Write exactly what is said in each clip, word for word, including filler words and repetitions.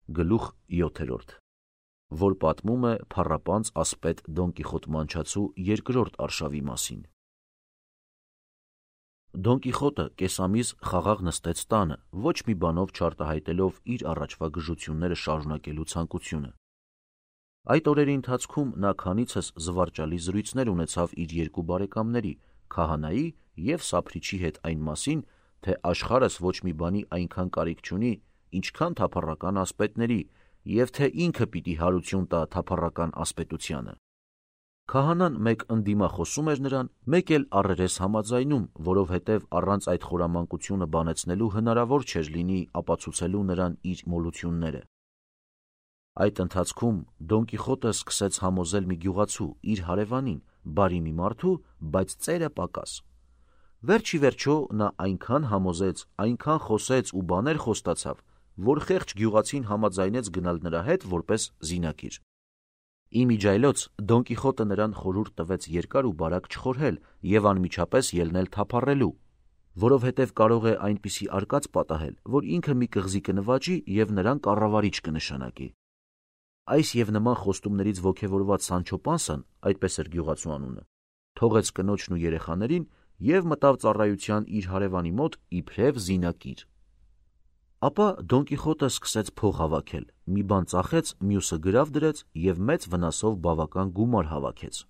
Գլուխ յոթերորդ, որ պատմում է փառապանծ ասպետ Դոն Կիխոտ մանչացու երկրորդ արշավի մասին։ Դոն Կիխոտը կեսամիս խաղաղ նստեց տանը, ոչ մի բանով չարտահայտելով իր առաջվա գժությունները շարունակելու ցանկությունը։ Այդ օրերի ընթացքում նա քանիցս զվարճալի զրույցներ ունեցավ իր երկու բարեկամների՝ քահանայի և սափրիչի հետ այն մասին, թե աշխարհս ոչ մի բանի այնքան կարիք չունի, ինչքան թափառական ասպետների, և թե ինքը պիտի հարություն տա թափառական ասպետությանը։ Քահանան մեկ ընդդիմախոսում էր նրան, մեկ էլ առերես համաձայնում, որովհետև առանց այդ խորամանկությունը բանեցնելու հնարավոր չէր լինի ապացուցելու նրան իր մոլությունները։ Այդ ընթացքում Դոն Կիխոտը սկսեց համոզել մի գյուղացու, իր հարևանին, բարի մի մարդու, բայց ծերը պակաս։ Վերջ ի վերջո նա այնքան համոզեց, այնքան խոսեց ու բաներ խոստացավ, որ խեղճ գյուղացին համաձայնեց գնալ նրա հետ որպես զինակիր։ Ի միջայլոց Դոն Կիխոտը նրան խորհուրդ տվեց երկար ու բարակ չխորհել և անմիջապես ելնել թափառելու, որովհետև կարող է այնպիսի արկած պատահել, որ ինքը մի կղզի կնվաճի և նրան կառավարիչ կնշանակի։ Այս և նման խոստումներից ոգևորված Սանչո Պանսան, այդպես էր գյուղացու անունը, թողեց կնոջն ու երեխաներին և մտավ ծառայության իր հարևանի մոտ իբրև զինակիր։ Ապա Դոն Կիխոտը սկսեց փող հավաքել, մի բան ծախեց, մյուսը գրավ դրեց և մեծ վնասով բավական գումար հավաքեց։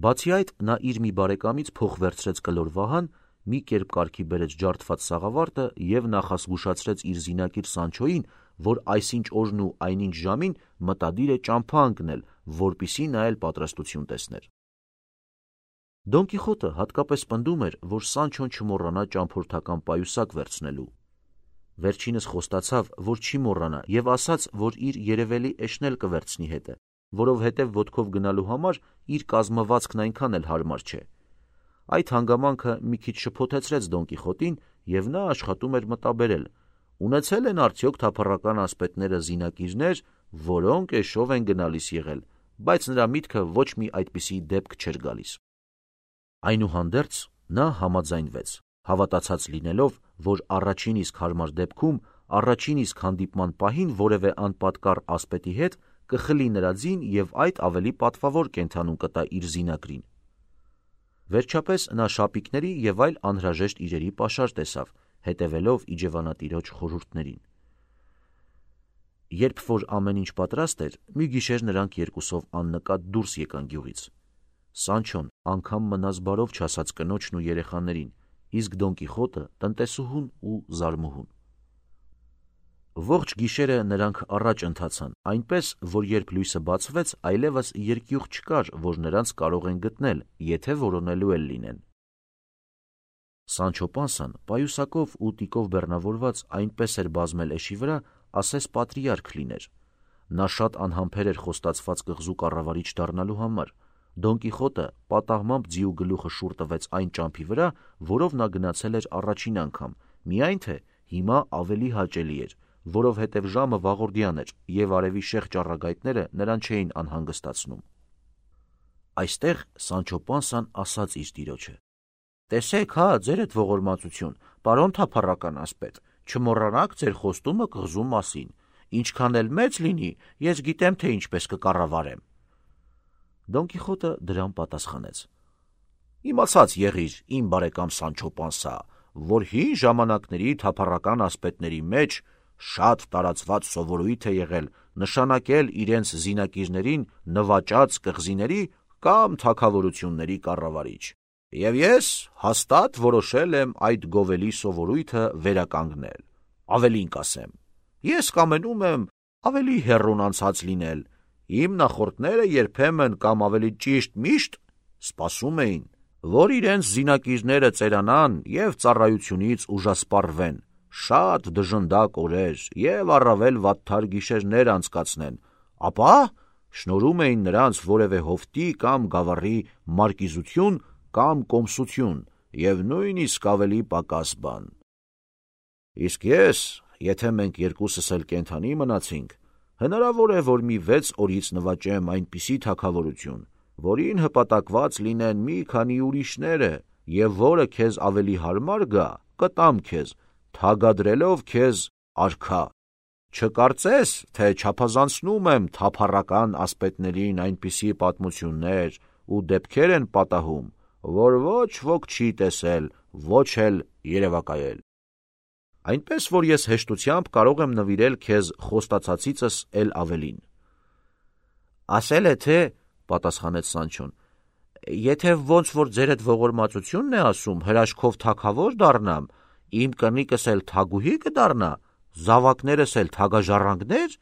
Բացի այդ, նա իր մի բարեկամից փող վերցրեց կլոր վահան, մի կերպ կարգի բերեց ջարդված սաղավարտը և նախազգուշացրեց իր զինակիր Սանչոյին, որ այսինչ օրն ու այնինչ ժամին մտադիր է ճամփա ընկնել, որպեսզի նա էլ պատրաստություն տեսներ։ Դոն Կիխոտը հատկապես պնդում էր, որ Սանչոն չմոռանա ճամփորդական պայուսակ վերցնելու։ Վերջինս խոստացավ, որ չի մոռանա և ասաց, որ իր երևելի էշն էլ կվերցնի հետը, որովհետև ոտքով գնալու համար իր կազմվածքն այնքան էլ հարմար չէ։ Այդ հանգամանքը մի քիչ շփոթեցրեց Դոն Կիխոտին, և նա աշխատում էր մտաբերել՝ ունեցել են արդյոք թափառական ասպետները զինակիրներ, որոնք էշով են գնալիս եղել, բայց նրա միտքը ոչ մի այդպիսի դեպք չէր գալիս։ Այնուհանդերձ նա համաձայնվեց, հավատացած լինելով, որ առաջին իսկ հարմար դեպքում, առաջին իսկ հանդիպման պահին որևէ անպատկառ ասպետի հետ կխլի նրա ձին և այդ ավելի պատվավոր կենդանուն կտա իր զինակրին։ Վերջապես նա շապիկների և այլ անհրաժեշտ իրերի պաշար տեսավ, հետևելով իջևանատիրոջ խորհուրդներին։ Երբ որ ամեն ինչ պատրաստ էր, մի գիշեր նրանք երկուսով աննկատ դուրս եկան գյուղից։ Սանչոն անգամ մնաց բարով չասաց կնոջն ու երեխաներին, իսկ Դոն Կիխոտը տնտեսուհուն ու զարմուհուն։ Ողջ գիշերը նրանք առաջ ընթացան, այնպես, որ երբ լույսը բացվեց, այլևս երկյուղ չկար, որ նրանց կարող են գտնել, եթե որոնելու էլ լինեն։ Սանչո Պանսան պայուսակով ու տիկով բեռնավորված այնպես էր բազմել էշի վրա, ասես պատրիարք լիներ։ Նա շատ անհամբեր էր խոստացված կղզու կառավարիչ դառնալու համար։ Դոն Կիխոտը պատահմամբ ձիու գլուխը շուռ տվեց այն ճամփի վրա, որով նա գնացել էր առաջին անգամ, միայն թե հիմա ավելի հաճելի էր, որովհետև ժամը վաղորդյան էր, և արևի շեղ ճառագայթները նրան չէին անհանգստացնում։ Այստեղ Սանչո Պանսան ասաց իր տիրոջը. «Տեսեք հա, ձերդ ողորմածություն, պարոն թափառական ասպետ, չմոռանաք ձեր խոստումը կղզու մասին, ինչքան էլ մեծ լինի, ես գիտեմ, թե ինչպես կկառավարեմ»։ Դոն Կիխոտը դրան պատասխանեց. «Իմացած եղիր, իմ բարեկամ Սանչո Պանսա, որ հին ժամանակների թափառական ասպետների մեջ շատ տարածված սովորույթ է եղել նշանակել իրենց զինակիրներին նվաճած կղզիների կամ թագավորությունների կառավարիչ, և ես հաստատ որոշել եմ այդ գովելի սովորույթը վերականգնել։ Ավելին կասեմ, ես կամենում եմ ավելի հեռուն անցած լինել, իմ նախորդները երբեմն կամ ավելի ճիշտ միշտ սպասում էին, որ իրենց զինակիրները ծերանան և ծառայությունից ուժասպառվեն, շատ դժնդակ օրեր և առավել վատթար գիշերներ անցկացնեն, ապա շնորհում էին նրանց որևէ հովտի կամ գավառի մարկիզություն կամ կոմսություն և նույնիսկ ավելի պակաս բան։ Իսկ ես, եթե մենք երկուսս էլ կենդանի մնացինք, հնարավոր է, որ մի վեց օրից նվաճեմ այնպիսի թագավորություն, որին հպատակված լինեն մի քանի ուրիշները, և որը քեզ ավելի հարմար գա, կտամ քեզ, թագադրելով քեզ արքա։ Չկարծես, թե չափազանցնում եմ թափառական ասպետներին այնպիսի պատմություններ ու դեպքեր են պատահում, որ ոչ ոք չի տեսել, ոչ էլ երևակայել։ Այնպես, որ ես հեշտությամբ կարող եմ նվիրել քեզ խոստացածիցս էլ ավելին։ Ասել է թե, պատասխանեց Սանչոն, եթե ոնց որ ձերդ ողորմածությունն է ասում, հրաշքով թագավոր դառնամ, իմ կնիկս էլ թագուհի կդառնա, զավակներս էլ թագաժառանգներ։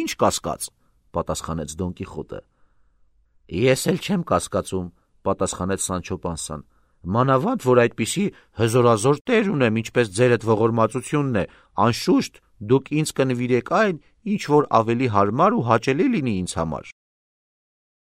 Ինչ կասկած, պատասխանեց Դոն Կիխոտը։ Ես էլ չեմ կասկածում, պատասխանեց Սանչո Պանսան, մանավանդ որ այդպիսի հզորազոր տեր ունեմ, ինչպես ձերդ ողորմածությունն է, անշուշտ դուք ինձ կնվիրեք այն, ինչ որ ավելի հարմար ու հաճելի լինի ինձ համար։